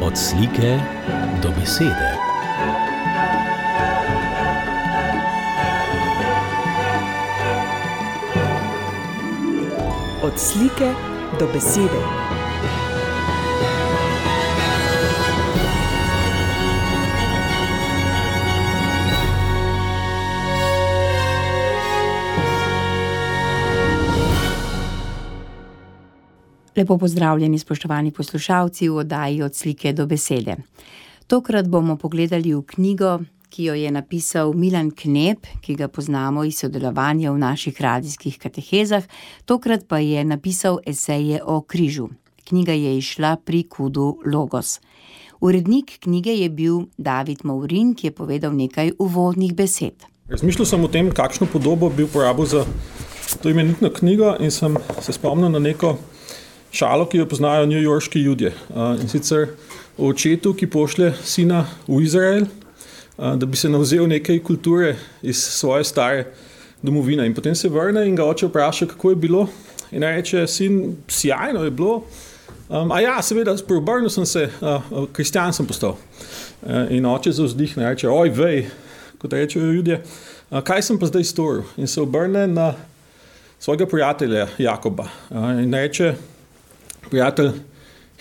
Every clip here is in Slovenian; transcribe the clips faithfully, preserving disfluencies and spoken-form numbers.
Od slike do besede. Od slike do besede. Lepo pozdravljeni, spoštovani poslušalci v oddaji Od slike do besede. Tokrat bomo pogledali v knjigo, ki jo je napisal Milan Knep, ki ga poznamo iz sodelovanja v naših radijskih katehezah. Tokrat pa je napisal eseje o križu. Knjiga je izšla pri Kudu Logos. Urednik knjige je bil David Maurin, ki je povedal nekaj uvodnih besed. Razmišljal sem o tem, kakšno podobo bi uporabil za to imenitno knjigo, in sem se spomnil na neko šalo, ki jo poznajo newyorški Judje. In sicer o očetu, ki pošlje sina v Izrael, da bi se navzel nekaj kulture iz svoje stare domovine. In potem se vrne in ga oče vpraša, kako je bilo. In reče, sin, sjajno je bilo. Um, a ja, seveda, preobrnil sem se, uh, kristjan sem postal. Uh, in oče zavzdihne, reče, oj, vej, kot rečejo Judje, uh, kaj sem pa zdaj storil? In se obrne na svojega prijatelja Jakoba. Uh, in reče, prijatelj,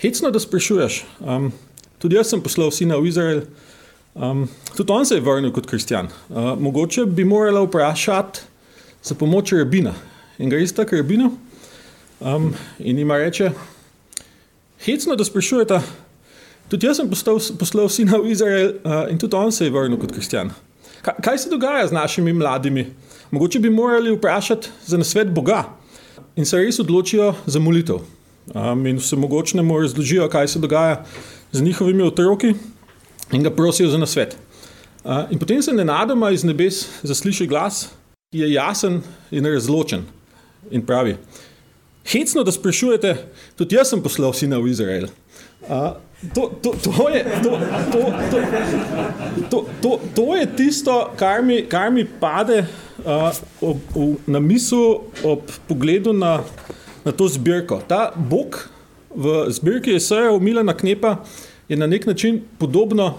hecno, da sprašuješ. Um, tudi jaz sem poslal sina v Izrael. Um, tudi on se je vrnil kot kristjan. Uh, mogoče bi morala vprašati za pomoč rabina. In gre sta k rabinu um, in ima reče, hecno, da sprašujeta, tudi jaz sem poslal, poslal sina v Izrael uh, in tudi on se je vrnil kot kristjan. Ka, kaj se dogaja z našimi mladimi? Mogoče bi morali vprašati za nasvet Boga. In se res odločijo za molitev. Um, in vse mogočnemu razložijo, kaj se dogaja z njihovimi otroki in ga prosijo za nasvet. Uh, in potem se nenadoma iz nebes zasliši glas, ki je jasen in razločen in pravi, hecno, da sprašujete, tudi jaz sem poslal sina v Izrael. Uh, to, to, to, je, to, to, to, to, to, to je tisto, kar mi, kar mi pade uh, ob, v, na misel ob pogledu na na to zbirko. Ta Bog v zbirki esejev Milana Knepa je na nek način podobno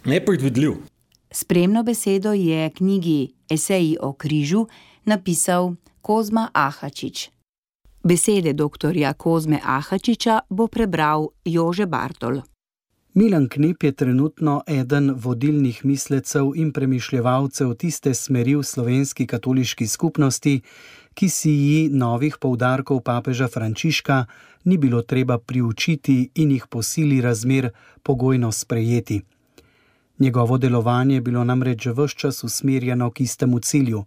nepredvidljiv. Spremno besedo je knjigi Eseji o križu napisal Kozma Ahačič. Besede doktorja Kozme Ahačiča bo prebral Jože Bartol. Milan Knep je trenutno eden vodilnih mislecev in premišljevalcev tiste smeri v slovenski katoliški skupnosti, ki si ji novih poudarkov papeža Frančiška ni bilo treba priučiti in jih po sili razmer pogojno sprejeti. Njegovo delovanje je bilo namreč ves čas usmerjeno k istemu cilju,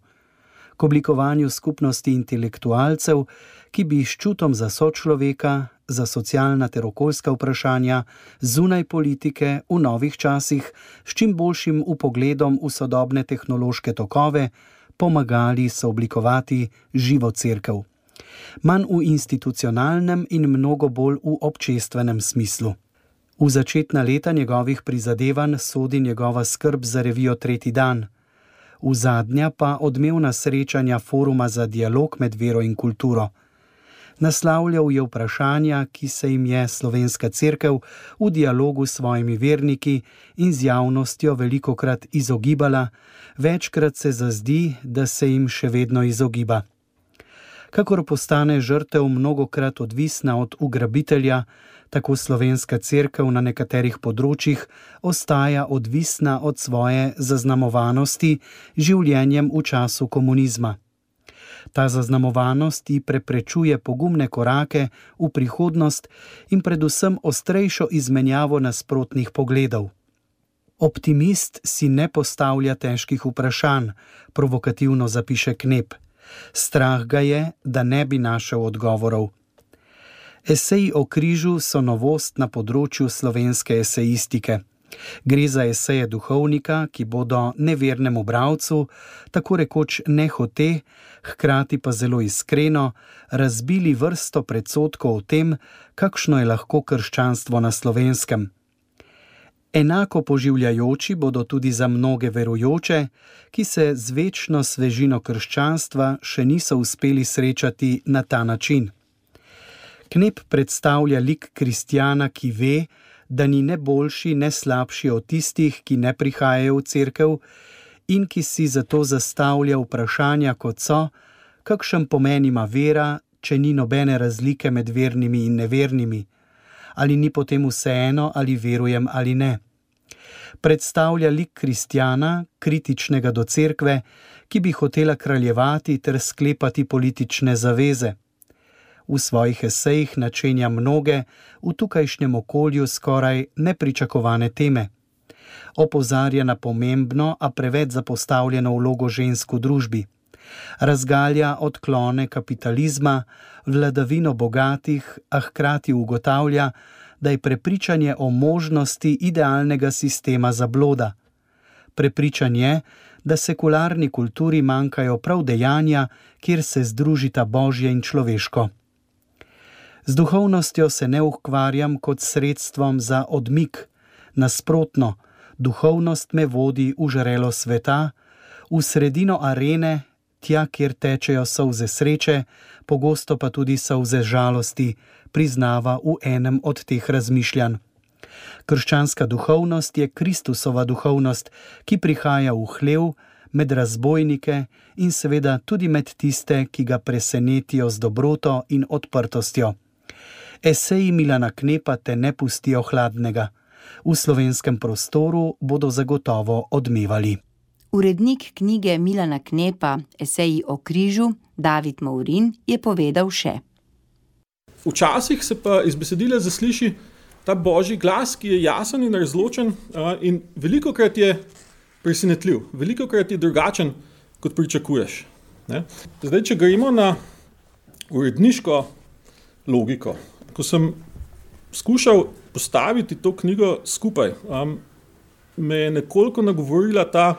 k oblikovanju skupnosti intelektualcev, ki bi s čutom za sočloveka, za socialna ter okoljska vprašanja, zunaj politike, v novih časih, s čim boljšim vpogledom v sodobne tehnološke tokove, pomagali sooblikovati živo cerkev. Manj v institucionalnem in mnogo bolj v občestvenem smislu. V začetna leta njegovih prizadevanj sodi njegova skrb za revijo Tretji dan, v zadnja pa odmevna srečanja Foruma za dialog med vero in kulturo. Naslavljal je vprašanja, ki se jim je slovenska cerkev v dialogu s svojimi verniki in z javnostjo velikokrat izogibala, večkrat se zazdi, da se jim še vedno izogiba. Kakor postane žrtev mnogokrat odvisna od ugrabitelja, tako slovenska cerkev na nekaterih področjih ostaja odvisna od svoje zaznamovanosti življenjem v času komunizma. Ta zaznamovanost ji preprečuje pogumne korake v prihodnost in predvsem ostrejšo izmenjavo nasprotnih pogledov. Optimist si ne postavlja težkih vprašanj, provokativno zapiše Knep. Strah ga je, da ne bi našel odgovorov. Eseji o križu so novost na področju slovenske esejistike. Gre za eseje duhovnika, ki bodo nevernemu bralcu, tako rekoč nehote, hkrati pa zelo iskreno, razbili vrsto predsodkov o tem, kakšno je lahko krščanstvo na Slovenskem. Enako poživljajoči bodo tudi za mnoge verujoče, ki se z večno svežino krščanstva še niso uspeli srečati na ta način. Knep predstavlja lik kristjana, ki ve, da ni ne boljši, ne slabši od tistih, ki ne prihajajo v cerkev in ki si zato zastavlja vprašanja, kot so, kakšen pomen ima vera, če ni nobene razlike med vernimi in nevernimi, ali ni potem vseeno, ali verujem ali ne. Predstavlja lik kristjana, kritičnega do cerkve, ki bi hotela kraljevati ter sklepati politične zaveze. V svojih esejih načenja mnoge, v tukajšnjem okolju skoraj nepričakovane teme. Opozarja na pomembno, a preveč zapostavljeno vlogo žensk v družbi. Razgalja odklone kapitalizma, vladavino bogatih, a hkrati ugotavlja, da je prepričanje o možnosti idealnega sistema zabloda. Prepričan je, da sekularni kulturi manjkajo prav dejanja, kjer se združita božje in človeško. Z duhovnostjo se ne ukvarjam kot sredstvom za odmik. Nasprotno, duhovnost me vodi v žrelo sveta, v sredino arene, tja, kjer tečejo solze sreče, pogosto pa tudi solze žalosti, priznava v enem od teh razmišljanj. Krščanska duhovnost je Kristusova duhovnost, ki prihaja v hlev, med razbojnike in seveda tudi med tiste, ki ga presenetijo z dobroto in odprtostjo. Eseji Milana Knepa te ne pustijo hladnega. V slovenskem prostoru bodo zagotovo odmevali. Urednik knjige Milana Knepa Eseji o križu, David Maurin, je povedal še. Včasih se pa iz besedila zasliši ta božji glas, ki je jasen in razločen in velikokrat je presenetljiv, velikokrat je drugačen, kot pričakuješ. Ne? Zdaj, če gremo na uredniško logiko, ko sem skušal postaviti to knjigo skupaj, um, me je nekoliko nagovorila ta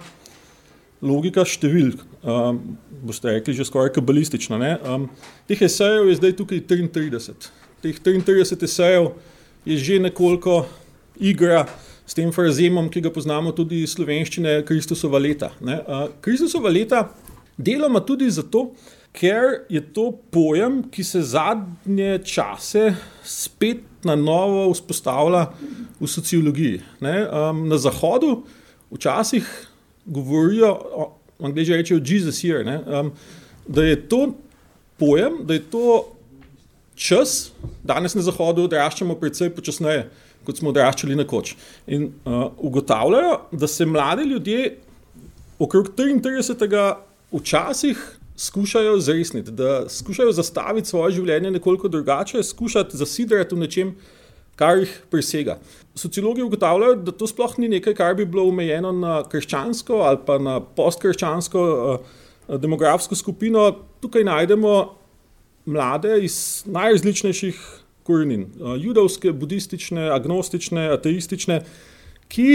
logika številk, um, boste rekli že skoraj kabalistična. Ne? Um, teh esejev je zdaj tukaj triintrideset. Teh triintrideset esejev je že nekoliko igra s tem frazemom, ki ga poznamo tudi iz slovenščine, Kristusova leta. Ne? Uh, Kristusova leta deloma tudi zato, ker je to pojem, ki se zadnje čase spet na novo vzpostavlja v sociologiji. Ne? Um, na Zahodu včasih govorijo, Angleži rečejo Jesus year, ne? Um, da je to pojem, da je to čas, danes na Zahodu odraščamo precej počasneje, kot smo odraščali nekoč. In uh, ugotavljajo, da se mladi ljudje okrog triintridesetega včasih skušajo zresniti, da skušajo zastaviti svoje življenje nekoliko drugače, skušati zasidrati v nečem, kar jih presega. Sociologi ugotavljajo, da to sploh ni nekaj, kar bi bilo omejeno na krščansko ali pa na postkrščansko uh, demografsko skupino. Tukaj najdemo mlade iz najrazličnejših korenin. Uh, judovske, budistične, agnostične, ateistične, ki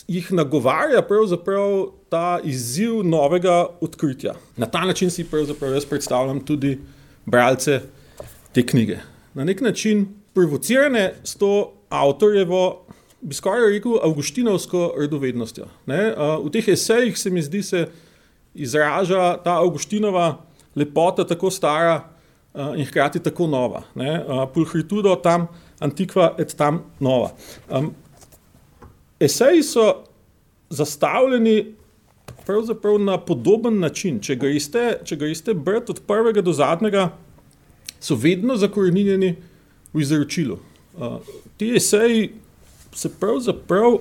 jih nagovarja pravzaprav ta izziv novega odkritja. Na ta način si pravzaprav jaz predstavljam tudi bralce te knjige. Na nek način provocirane s to avtorjevo, bi skoraj rekel, avguštinovsko radovednostjo. Ne? V teh esejih se mi zdi se izraža ta Avgustinova lepota tako stara in hkrati tako nova. Ne? Pulchritudo tam antiqua et tam nova. Eseji so zastavljeni pravzaprav na podoben način. Če greste, če greste brati od prvega do zadnjega, so vedno zakoreninjeni v izročilu. Uh, ti eseji se pravzaprav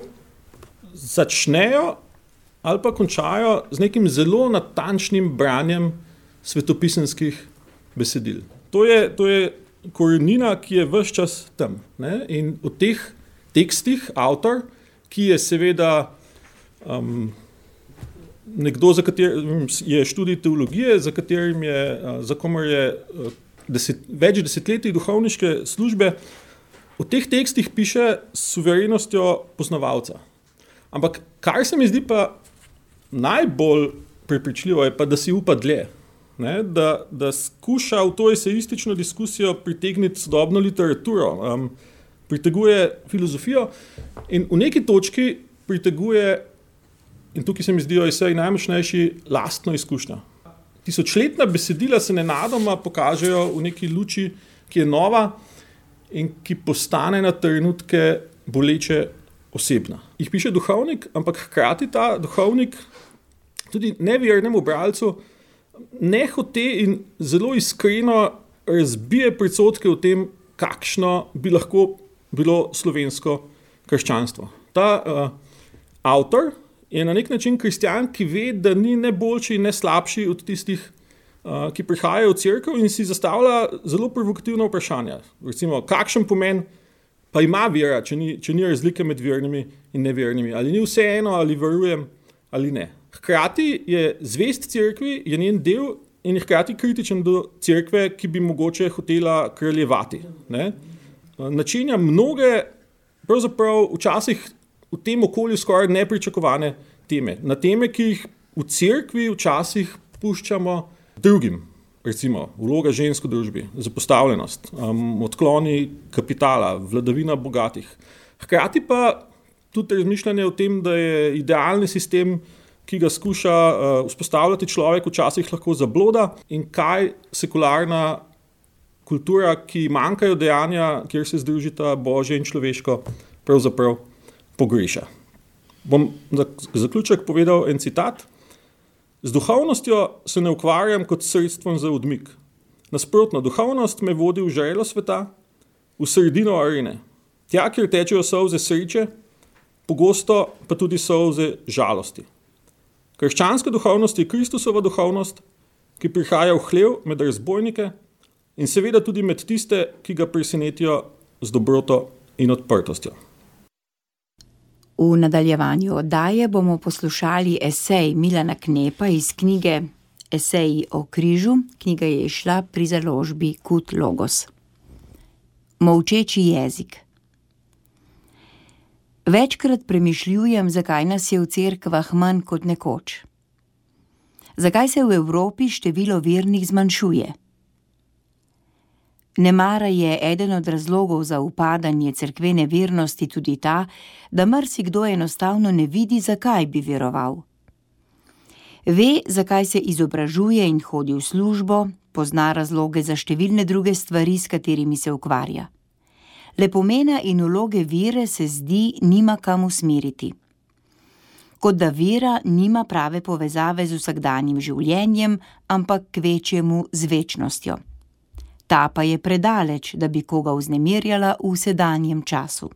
začnejo ali pa končajo z nekim zelo natančnim branjem svetopisemskih besedil. To je, to je korenina, ki je ves čas tam. Ne? In v teh tekstih avtor, ki je seveda um, nekdo, za katerim je študij teologije, za katerim je, za komer je deset, več desetletij duhovniške službe, v teh tekstih piše s suverenostjo poznavalca. Ampak kar se mi zdi pa najbolj prepričljivo, je pa, da si upa dlje. Ne? Da, da skuša v to esejistično diskusijo pritegniti sodobno literaturo, um, priteguje filozofijo in v neki točki priteguje, in tukaj se mi zdijo eseji najmočnejši, lastno izkušnjo. Tisočletna besedila se nenadoma pokažejo v neki luči, ki je nova in ki postane na trenutke boleče osebna. Jih piše duhovnik, ampak hkrati ta duhovnik tudi nevernemu bralcu nehote in zelo iskreno razbije predsodke o tem, kakšno bi lahko bilo slovensko krščanstvo. Ta uh, avtor je na nek način kristjan, ki ve, da ni ne boljši in ne slabši od tistih, uh, ki prihajajo v cerkev in si zastavlja zelo provokativna vprašanja. Recimo, kakšen pomen pa ima vera, če ni, če ni razlike med vernimi in nevernimi. Ali ni vseeno, ali verujem, ali ne. Hkrati je zvest cerkvi, je njen del in je hkrati kritičen do cerkve, ki bi mogoče hotela kraljevati. Ne? Načenja mnoge, pravzaprav včasih v tem okolju skoraj nepričakovane teme. Na teme, ki jih v cerkvi včasih puščamo drugim. Recimo, vloga žensk v družbi, zapostavljenost, um, odkloni kapitala, vladavina bogatih. Hkrati pa tudi razmišljanje o tem, da je idealni sistem, ki ga skuša uh, vzpostavljati človek, včasih lahko zabloda in kaj sekularna kultura, ki manjkajo dejanja, kjer se združita božje in človeško, pravzaprav pogreša. Bom za zaključek povedal en citat. Z duhovnostjo se ne ukvarjam kot sredstvom za odmik. Nasprotno, duhovnost me vodi v žrelo sveta, v sredino arene. Tja, kjer tečejo solze sreče, pogosto pa tudi solze žalosti. Krščanska duhovnost je Kristusova duhovnost, ki prihaja v hlev med razbojnike in seveda tudi med tiste, ki ga presenetijo z dobroto in odprtostjo. V nadaljevanju oddaje bomo poslušali esej Milana Knepa iz knjige Eseji o križu. Knjiga je izšla pri založbi Kut Logos. Molčeči jezik. Večkrat premišljujem, zakaj nas je v cerkvah manj kot nekoč. Zakaj se v Evropi število vernih zmanjšuje? Nemara je eden od razlogov za upadanje cerkvene vernosti tudi ta, da marsikdo enostavno ne vidi, zakaj bi veroval. Ve, zakaj se izobražuje in hodi v službo, pozna razloge za številne druge stvari, s katerimi se ukvarja. Le pomena in vloge vere se zdi nima kam usmeriti. Kot da vera nima prave povezave z vsakdanjim življenjem, ampak kvečjemu z večnostjo. Ta pa je predaleč, da bi koga vznemirjala v sedanjem času.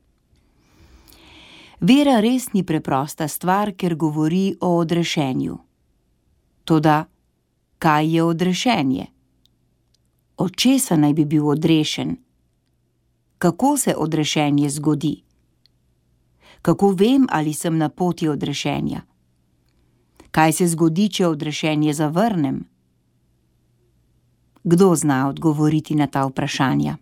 Vera res ni preprosta stvar, ker govori o odrešenju. Toda, kaj je odrešenje? Od česa naj bi bil odrešen? Kako se odrešenje zgodi? Kako vem, ali sem na poti odrešenja? Kaj se zgodi, če odrešenje zavrnem? Kdo zna odgovoriti na ta vprašanja?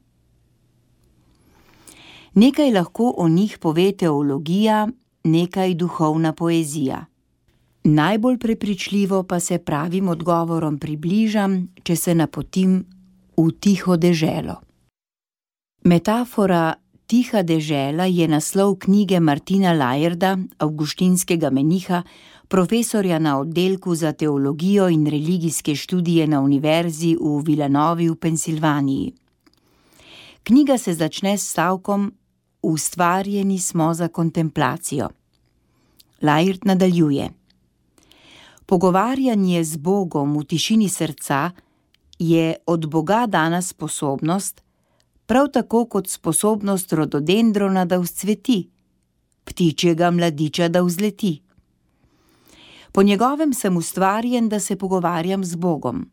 Nekaj lahko o njih pove teologija, nekaj duhovna poezija. Najbolj prepričljivo pa se pravim odgovorom približam, če se napotim v tiho deželo. Metafora Tiha dežela je naslov knjige Martina Lajerda, avguštinskega meniha, profesorja na oddelku za teologijo in religijske študije na univerzi v Villanovi v Pensilvaniji. Knjiga se začne s stavkom Ustvarjeni smo za kontemplacijo. Lajerd nadaljuje. Pogovarjanje z Bogom v tišini srca je od Boga dana sposobnost, prav tako kot sposobnost rododendrona, da vzcveti, ptičjega mladiča, da vzleti. Po njegovem sem ustvarjen, da se pogovarjam z Bogom.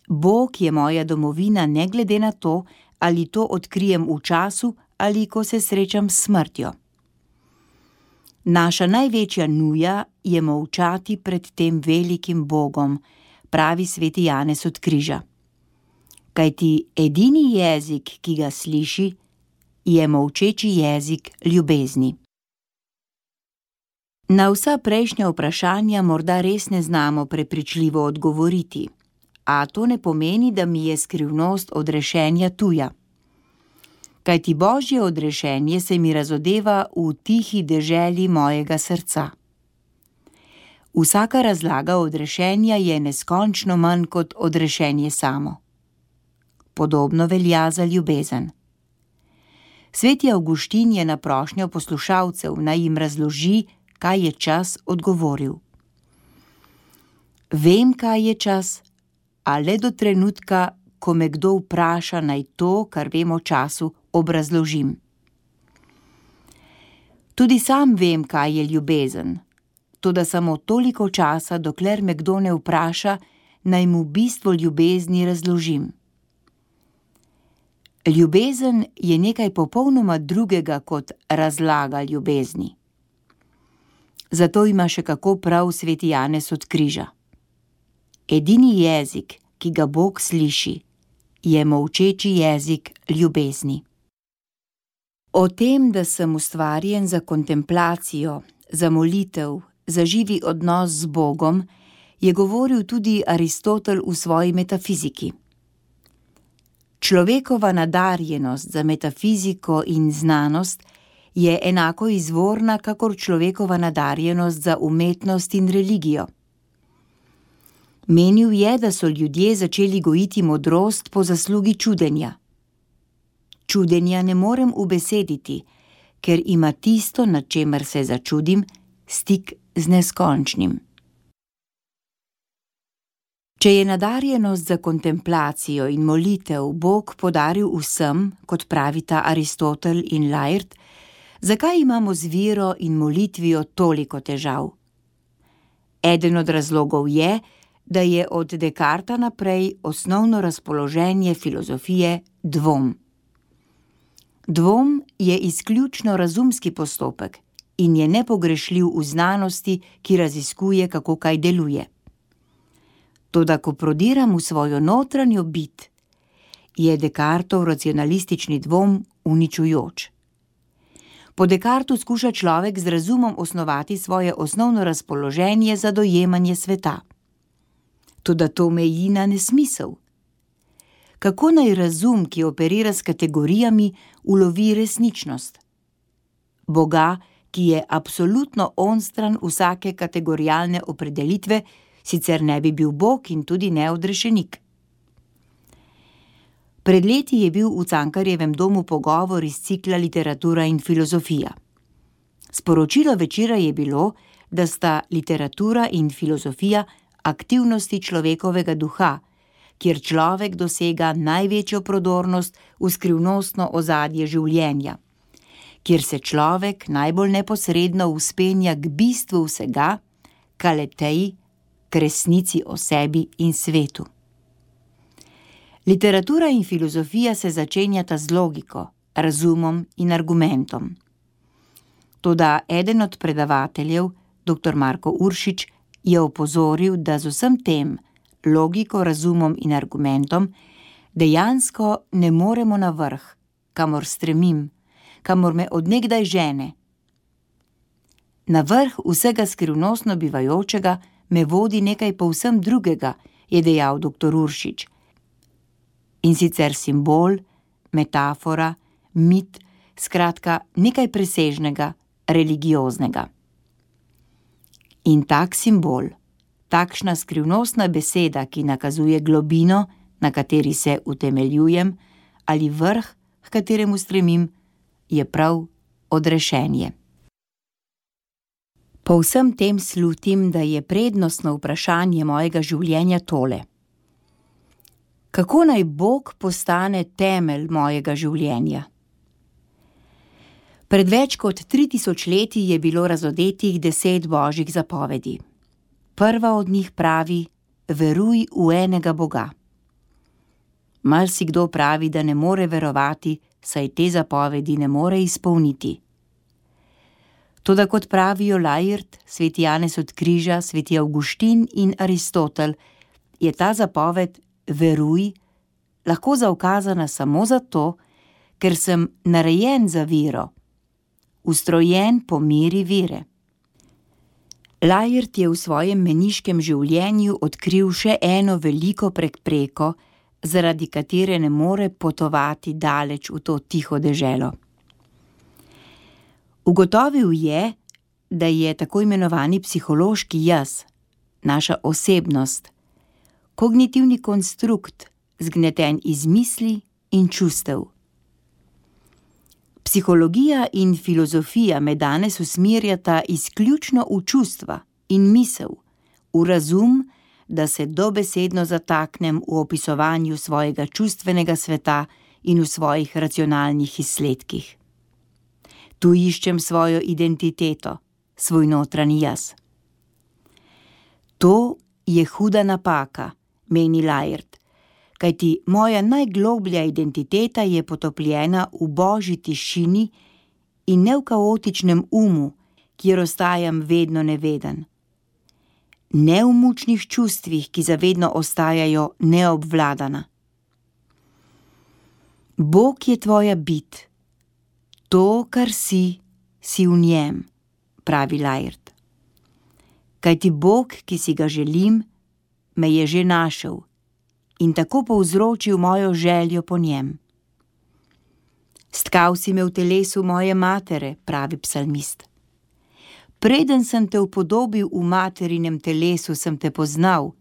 Bog je moja domovina ne glede na to, ali to odkrijem v času ali ko se srečam s smrtjo. Naša največja nuja je molčati pred tem velikim Bogom, pravi sveti Janez od križa. Kajti edini jezik, ki ga sliši, je molčeči jezik ljubezni. Na vsa prejšnja vprašanja morda res ne znamo prepričljivo odgovoriti, a to ne pomeni, da mi je skrivnost odrešenja tuja. Kajti Božje odrešenje se mi razodeva v tihi deželi mojega srca. Vsaka razlaga odrešenja je neskončno manj kot odrešenje samo. Podobno velja za ljubezen. Sveti Avguštin je na prošnjo poslušalcev, naj jim razloži, kaj je čas, odgovoril: Vem, kaj je čas, a le do trenutka, ko me kdo vpraša, naj to, kar vem o času, obrazložim. Tudi sam vem, kaj je ljubezen, toda samo toliko časa, dokler me kdo ne vpraša, naj mu bistvo ljubezni razložim. Ljubezen je nekaj popolnoma drugega kot razlaga ljubezni. Zato ima še kako prav sveti Janez od Križa. Edini jezik, ki ga Bog sliši, je molčeči jezik ljubezni. O tem, da sem ustvarjen za kontemplacijo, za molitev, za živi odnos z Bogom, je govoril tudi Aristotel v svoji metafiziki. Človekova nadarjenost za metafiziko in znanost je enako izvorna, kakor človekova nadarjenost za umetnost in religijo. Menil je, da so ljudje začeli gojiti modrost po zaslugi čudenja. Čudenja ne morem ubesediti, ker ima tisto, nad čemer se začudim, stik z neskončnim. Če je nadarjenost za kontemplacijo in molitev Bog podaril vsem, kot pravita Aristotel in Laert, zakaj imamo z vero in molitvijo toliko težav? Eden od razlogov je, da je od Descartesa naprej osnovno razpoloženje filozofije dvom. Dvom je izključno razumski postopek in je nepogrešljiv v znanosti, ki raziskuje, kako kaj deluje. Toda ko prodiram v svojo notranjo bit, je Descartesov racionalistični dvom uničujoč. Po Descartesu skuša človek z razumom osnovati svoje osnovno razpoloženje za dojemanje sveta. Toda to meji na nesmisel. Kako naj razum, ki operira s kategorijami, ulovi resničnost? Boga, ki je absolutno onstran vsake kategorijalne opredelitve, sicer ne bi bil Bog in tudi ne odrešenik. Pred leti je bil v Cankarjevem domu pogovor iz cikla Literatura in filozofija. Sporočilo večera je bilo, da sta literatura in filozofija aktivnosti človekovega duha, kjer človek dosega največjo prodornost v skrivnostno ozadje življenja, kjer se človek najbolj neposredno vzpenja k bistvu vsega, k aleteji, k resnici o sebi in svetu. Literatura in filozofija se začenjata z logiko, razumom in argumentom. Toda eden od predavateljev, doktor Marko Uršič, je opozoril, da z vsem tem, logiko, razumom in argumentom, dejansko ne moremo na vrh, kamor stremim, kamor me odnegdaj žene. Na vrh vsega skrivnostno bivajočega me vodi nekaj povsem drugega, je dejal doktor Uršič. In sicer simbol, metafora, mit, skratka nekaj presežnega, religioznega. In tak simbol, takšna skrivnostna beseda, ki nakazuje globino, na kateri se utemeljujem, ali vrh, k kateremu stremim, je prav odrešenje. Po vsem tem slutim, da je prednostno vprašanje mojega življenja tole. Kako naj Bog postane temelj mojega življenja? Pred več kot tri tisoč leti je bilo razodetih deset božjih zapovedi. Prva od njih pravi: veruj v enega Boga. Marsikdo pravi, da ne more verovati, saj te zapovedi ne more izpolniti. Toda kot pravijo Laert, sveti Janez od Križa, sveti Avguštin in Aristotel, je ta zapoved veruj lahko zaukazana samo zato, ker sem narejen za vero, ustrojen po meri vere. Laert je v svojem meniškem življenju odkril še eno veliko prepreko, zaradi katere ne more potovati daleč v to tiho deželo. Ugotovil je, da je tako imenovani psihološki jaz, naša osebnost, kognitivni konstrukt, zgneten iz misli in čustev. Psihologija in filozofija me danes usmerjata izključno v čustva in misel, v razum, da se dobesedno zataknem v opisovanju svojega čustvenega sveta in v svojih racionalnih izsledkih. Tu iščem svojo identiteto, svoj notranji jaz. To je huda napaka, meni Layard, kajti moja najgloblja identiteta je potopljena v božji tišini in ne v kaotičnem umu, kjer ostajam vedno neveden. Ne v mučnih čustvih, ki zavedno ostajajo neobvladana. Bog je tvoja bit. To, kar si, si v njem, pravi Layard. Kajti Bog, ki si ga želim, me je že našel in tako povzročil mojo željo po njem. Stkal si me v telesu moje matere, pravi psalmist. Preden sem te upodobil v materinem telesu, sem te poznal,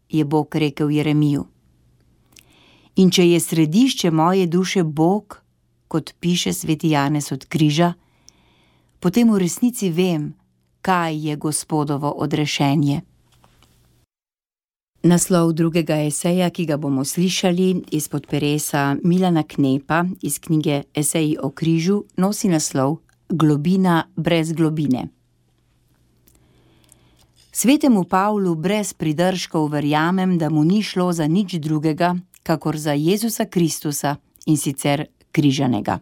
je Bog rekel Jeremiju. In če je središče moje duše Bog, kot piše sveti Janez od križa, potem v resnici vem, kaj je Gospodovo odrešenje. Naslov drugega eseja, ki ga bomo slišali izpod peresa Milana Knepa iz knjige Eseji o križu, nosi naslov Globina brez globine. Svetemu Pavlu brez pridržkov verjamem, da mu ni šlo za nič drugega, kakor za Jezusa Kristusa, in sicer križanega.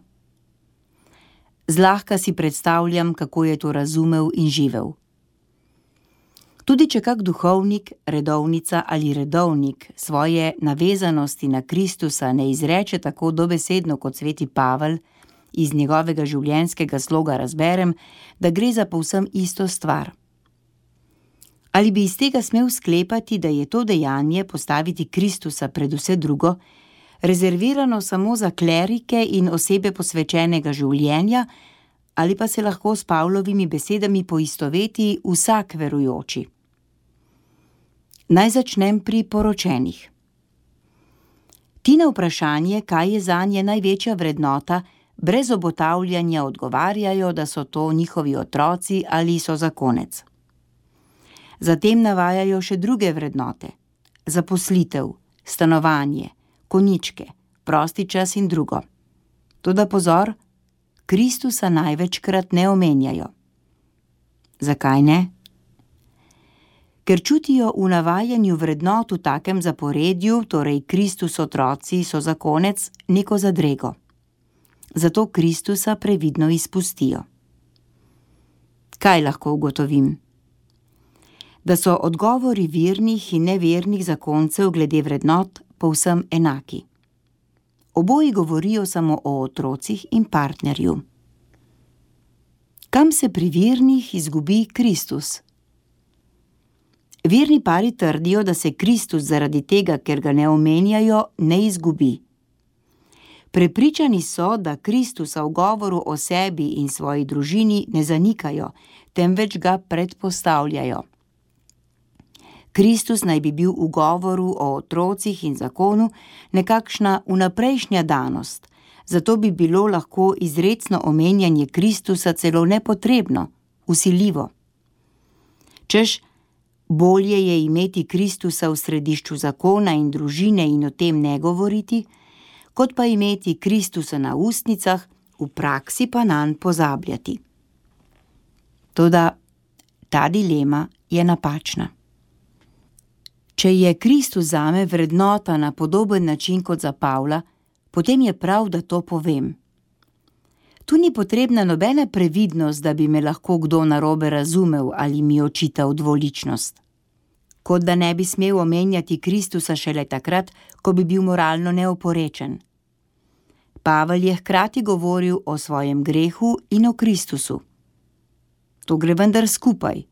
Zlahka si predstavljam, kako je to razumel in živel. Tudi če kak duhovnik, redovnica ali redovnik svoje navezanosti na Kristusa ne izreče tako dobesedno kot sveti Pavel, iz njegovega življenjskega sloga razberem, da gre za povsem isto stvar. Ali bi iz tega smel sklepati, da je to dejanje postaviti Kristusa pred vse drugo, rezervirano samo za klerike in osebe posvečenega življenja, ali pa se lahko s Pavlovimi besedami poistoveti vsak verujoči? Naj začnem pri poročenih. Ti na vprašanje, kaj je zanje največja vrednota, brez obotavljanja odgovarjajo, da so to njihovi otroci ali so zakonec. Zatem navajajo še druge vrednote: zaposlitev, stanovanje, konjičke, prosti čas in drugo. Toda pozor, Kristusa največkrat ne omenjajo. Zakaj ne? Ker čutijo v navajanju vrednot v takem zaporedju, torej Kristus otroci so zakonec, neko zadrego. Zato Kristusa previdno izpustijo. Kaj lahko ugotovim? Da so odgovori vernih in nevernih zakoncev glede vrednot povsem enaki. Oboji govorijo samo o otrocih in partnerju. Kam se pri vernih izgubi Kristus? Verni pari trdijo, da se Kristus zaradi tega, ker ga ne omenjajo, ne izgubi. Prepričani so, da Kristusa v govoru o sebi in svoji družini ne zanikajo, temveč ga predpostavljajo. Kristus naj bi bil v govoru o otrocih in zakonu nekakšna vnaprejšnja danost, zato bi bilo lahko izrecno omenjanje Kristusa celo nepotrebno, vsiljivo. Češ, bolje je imeti Kristusa v središču zakona in družine in o tem ne govoriti, kot pa imeti Kristusa na ustnicah, v praksi pa nanj pozabljati. Toda ta dilema je napačna. Če je Kristus zame vrednota na podoben način kot za Pavla, potem je prav, da to povem. Tu ni potrebna nobena previdnost, da bi me lahko kdo narobe razumel ali mi očital dvoličnost. Kot da ne bi smel omenjati Kristusa šele takrat, ko bi bil moralno neoporečen. Pavel je hkrati govoril o svojem grehu in o Kristusu. To gre vendar skupaj.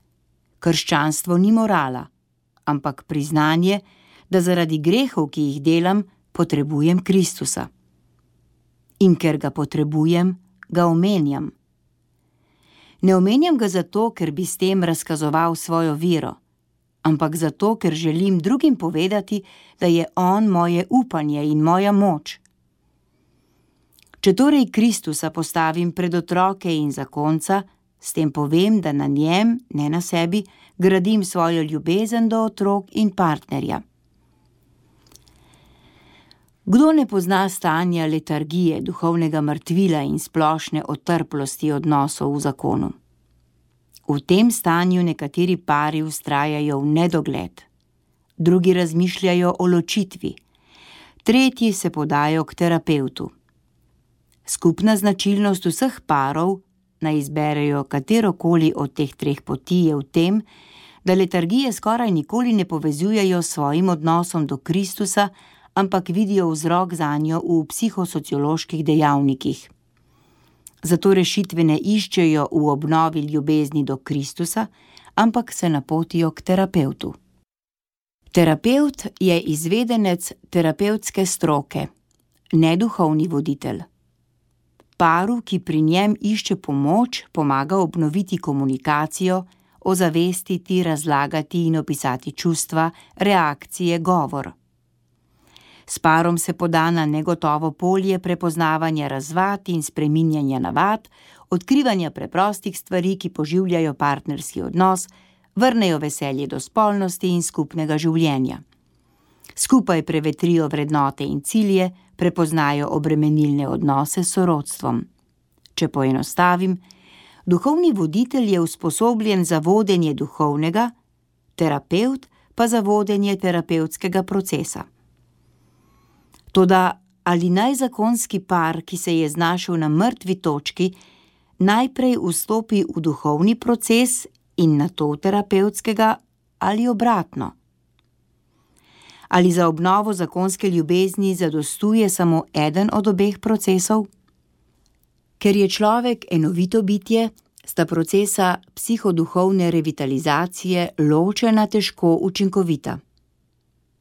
Krščanstvo ni morala, ampak priznanje, da zaradi grehov, ki jih delam, potrebujem Kristusa. In ker ga potrebujem, ga omenjam. Ne omenjam ga zato, ker bi s tem razkazoval svojo vero, ampak zato, ker želim drugim povedati, da je on moje upanje in moja moč. Če torej Kristusa postavim pred otroke in zakonca, s tem povem, da na njem, ne na sebi, gradim svojo ljubezen do otrok in partnerja. Kdo ne pozna stanja letargije, duhovnega mrtvila in splošne otrplosti odnosov v zakonu? V tem stanju nekateri pari vztrajajo v nedogled, drugi razmišljajo o ločitvi, tretji se podajo k terapevtu. Skupna značilnost vseh parov, naj izberejo katerokoli od teh treh poti, je v tem, da letargije skoraj nikoli ne povezujejo s svojim odnosom do Kristusa, ampak vidijo vzrok zanjo v psihosocioloških dejavnikih. Zato rešitve ne iščejo v obnovi ljubezni do Kristusa, ampak se napotijo k terapevtu. Terapevt je izvedenec terapevtske stroke, ne duhovni voditelj. Paru, ki pri njem išče pomoč, pomaga obnoviti komunikacijo, ozavestiti, razlagati in opisati čustva, reakcije, govor. S parom se poda na negotovo polje prepoznavanja razvad in spreminjanja navad, odkrivanja preprostih stvari, ki poživljajo partnerski odnos, vrnejo veselje do spolnosti in skupnega življenja. Skupaj prevetrijo vrednote in cilje, prepoznajo obremenilne odnose s sorodstvom. Če poenostavim, duhovni voditelj je usposobljen za vodenje duhovnega, terapevt pa za vodenje terapevtskega procesa. Toda ali naj zakonski par, ki se je znašel na mrtvi točki, najprej vstopi v duhovni proces in nato terapevtskega ali obratno? Ali za obnovo zakonske ljubezni zadostuje samo eden od obeh procesov? Ker je človek enovito bitje, sta procesa psihoduhovne revitalizacije ločena težko učinkovita.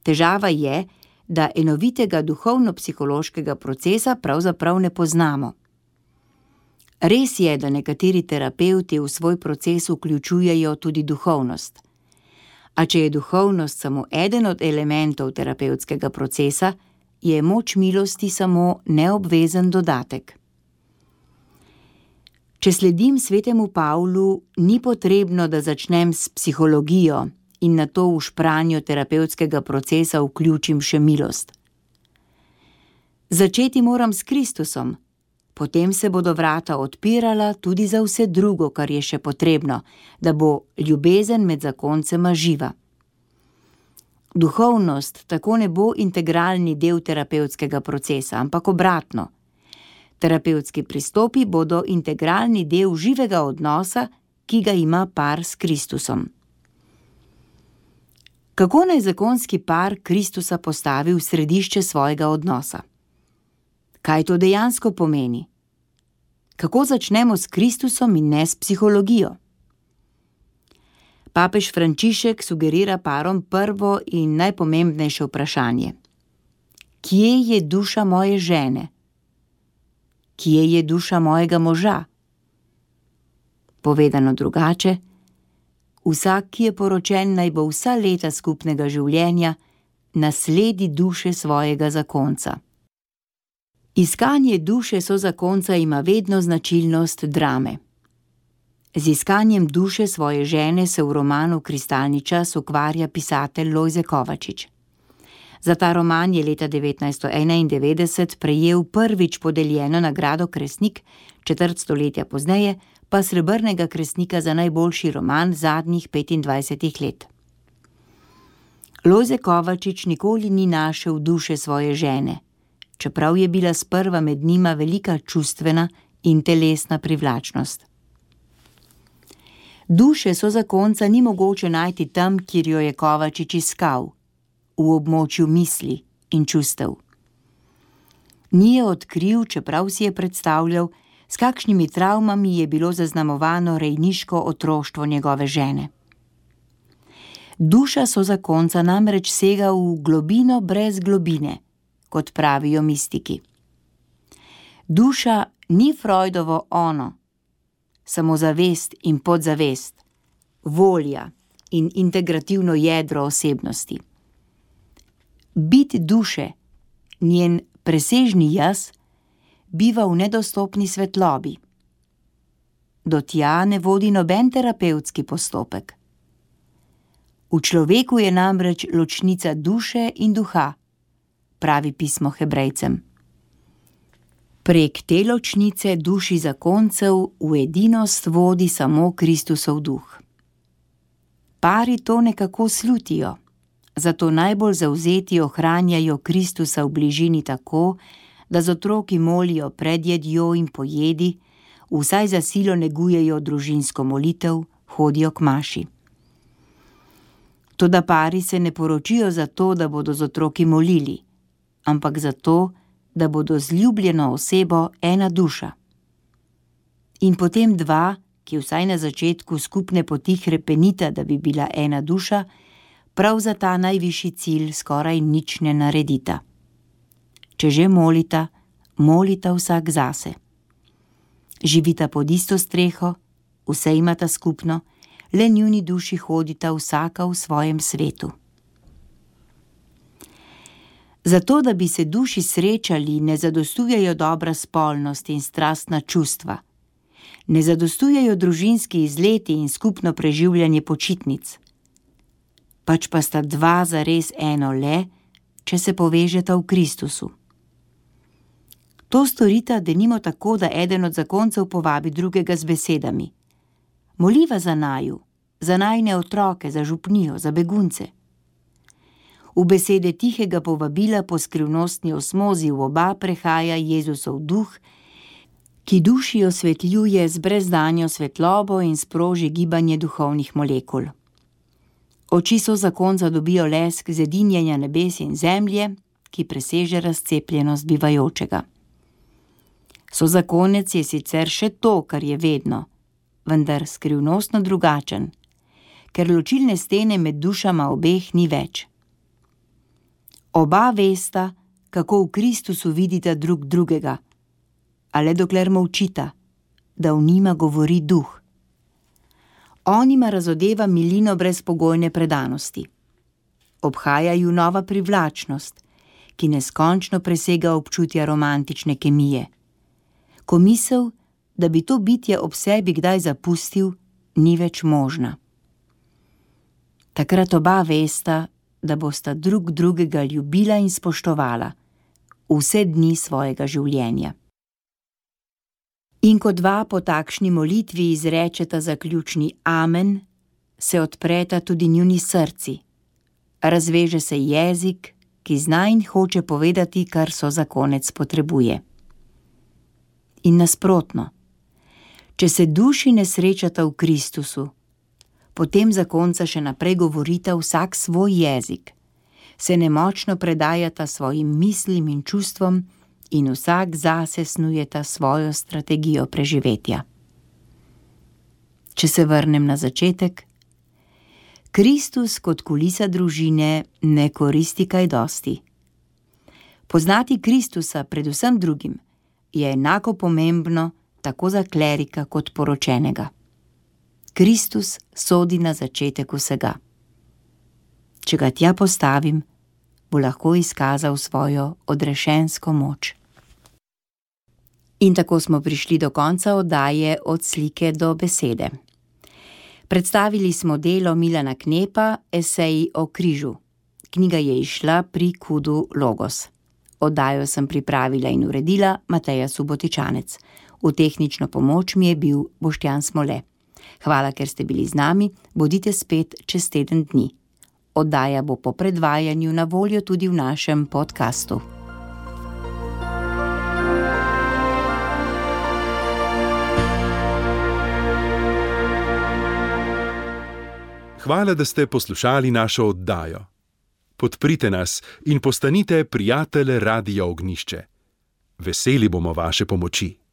Težava je, da enovitega duhovno-psihološkega procesa pravzaprav ne poznamo. Res je, da nekateri terapevti v svoj proces vključujejo tudi duhovnost. A če je duhovnost samo eden od elementov terapevtskega procesa, je moč milosti samo neobvezen dodatek. Če sledim svetemu Pavlu, ni potrebno, da začnem s psihologijo in nato v špranjo terapevtskega procesa vključim še milost. Začeti moram s Kristusom, potem se bodo vrata odpirala tudi za vse drugo, kar je še potrebno, da bo ljubezen med zakoncema živa. Duhovnost tako ne bo integralni del terapevtskega procesa, ampak obratno. Terapevtski pristopi bodo integralni del živega odnosa, ki ga ima par s Kristusom. Kako naj zakonski par Kristusa postavi v središče svojega odnosa? Kaj to dejansko pomeni? Kako začnemo s Kristusom in ne s psihologijo? Papež Frančišek sugerira parom prvo in najpomembnejše vprašanje. Kje je duša moje žene? Kje je duša mojega moža? Povedano drugače, vsak, ki je poročen, naj bo vsa leta skupnega življenja nasledi duše svojega zakonca. Iskanje duše sozakonca ima vedno značilnost drame. Z iskanjem duše svoje žene se v romanu Kristalni čas ukvarja pisatelj Lojze Kovačič. Za ta roman je leta devetnajststo enaindevetdeset prejel prvič podeljeno nagrado Kresnik, četrt stoletja pozneje pa srebrnega Kresnika za najboljši roman zadnjih petindvajsetih let. Lojze Kovačič nikoli ni našel duše svoje žene, čeprav je bila sprva med njima velika čustvena in telesna privlačnost. Duše sozakonca ni mogoče najti tam, kjer jo je Kovačič iskal, v območju misli in čustev. Ni je odkril, čeprav si je predstavljal, s kakšnimi travmami je bilo zaznamovano rejniško otroštvo njegove žene. Duša sozakonca namreč sega v globino brez globine, kot pravijo mistiki. Duša ni Freudovo ono, samo zavest in podzavest, volja in integrativno jedro osebnosti. Bit duše, njen presežni jaz, biva v nedostopni svetlobi. Do tja ne vodi noben terapevtski postopek. V človeku je namreč ločnica duše in duha, pravi pismo Hebrejcem. Prek te ločnice duši zakoncev v edinost vodi samo Kristusov duh. Pari to nekako slutijo, zato najbolj zavzeti ohranjajo Kristusa v bližini tako, da z otroki molijo pred jedjo in po jedi, vsaj za silo negujejo družinsko molitev, hodijo k maši. Toda pari se ne poročijo zato, da bodo z otroki molili, ampak zato, da bodo z ljubljeno osebo ena duša. In potem dva, ki vsaj na začetku skupne poti hrepenita, da bi bila ena duša, prav za ta najvišji cilj skoraj nič ne naredita. Če že molita, molita vsak zase. Živita pod isto streho, vse imata skupno, le njuni duši hodita vsaka v svojem svetu. Zato, da bi se duši srečali, ne zadostujejo dobra spolnost in strastna čustva. Ne zadostujejo družinski izleti in skupno preživljanje počitnic. Pač pa sta dva zares eno le, če se povežeta v Kristusu. To storita denimo tako, da eden od zakoncev povabi drugega z besedami: Moliva za naju, za najine otroke, za župnijo, za begunce. V besede tihega povabila po skrivnostni osmozi v oba prehaja Jezusov duh, ki duši osvetljuje z brezdanjo svetlobo in sproži gibanje duhovnih molekul. Oči so zakonca dobijo lesk zedinjenja nebes in zemlje, ki preseže razcepljenost bivajočega. So zakonec je sicer še to, kar je vedno, vendar skrivnostno drugačen, ker ločilne stene med dušama obeh ni več. Oba vesta, kako v Kristusu vidita drug drugega, a le dokler molčita, da v njima govori duh. On jima razodeva milino brezpogojne predanosti. Obhaja ju nova privlačnost, ki neskončno presega občutja romantične kemije. Ko misel, da bi to bitje ob sebi kdaj zapustil, ni več možna. Takrat oba vesta, da bosta drug drugega ljubila in spoštovala vse dni svojega življenja. In ko dva po takšni molitvi izrečeta zaključni amen, se odpreta tudi njuni srci. Razveže se jezik, ki zna in hoče povedati, kar so zakonec potrebuje. In nasprotno, če se duši ne srečata v Kristusu, potem zakonca še naprej govorita vsak svoj jezik, se nemočno predajata svojim mislim in čustvom in vsak zase snujeta svojo strategijo preživetja. Če se vrnem na začetek, Kristus kot kulisa družine ne koristi kaj dosti. Poznati Kristusa pred vsem drugim je enako pomembno tako za klerika kot poročenega. Kristus sodi na začetek vsega. Če ga tja postavim, bo lahko izkazal svojo odrešensko moč. In tako smo prišli do konca oddaje Od slike do besede. Predstavili smo delo Milana Knepa, Eseji o križu. Knjiga je izšla pri Kudu Logos. Oddajo sem pripravila in uredila Mateja Subotičanec. V tehnično pomoč mi je bil Boštjan Smole. Hvala, ker ste bili z nami, bodite spet čez teden dni. Oddaja bo po predvajanju na voljo tudi v našem podkastu. Hvala, da ste poslušali našo oddajo. Podprite nas in postanite prijatelj Radia Ognjišče. Veseli bomo vaše pomoči.